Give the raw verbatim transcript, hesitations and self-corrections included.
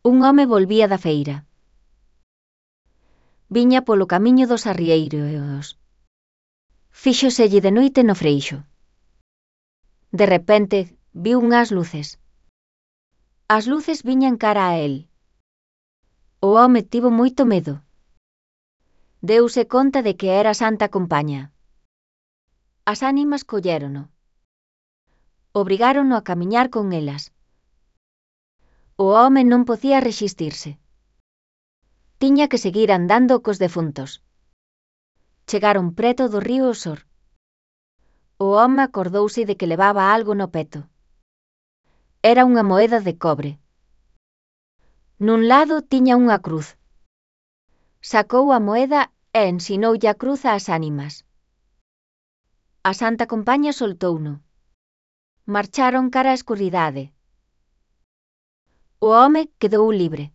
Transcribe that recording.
Un home volvía da feira. Viña polo camiño dos arrieiros. Fíxoselle de noite no freixo. De repente, viu unhas luces. As luces viñan cara a el. O home tivo moito medo. Deuse conta de que era a Santa Compaña. As ánimas collérono. Obrigárono a camiñar con elas. O home non podía resistirse. Tiña que seguir andando cos defuntos. Chegaron preto do río Osor. O home acordouse de que levaba algo no peto. Era unha moeda de cobre. Nun lado tiña unha cruz. Sacou a moeda e ensinoulle a cruz ás ánimas. A Santa Compaña soltouno. Marcharon cara á escuridade. O home quedou libre.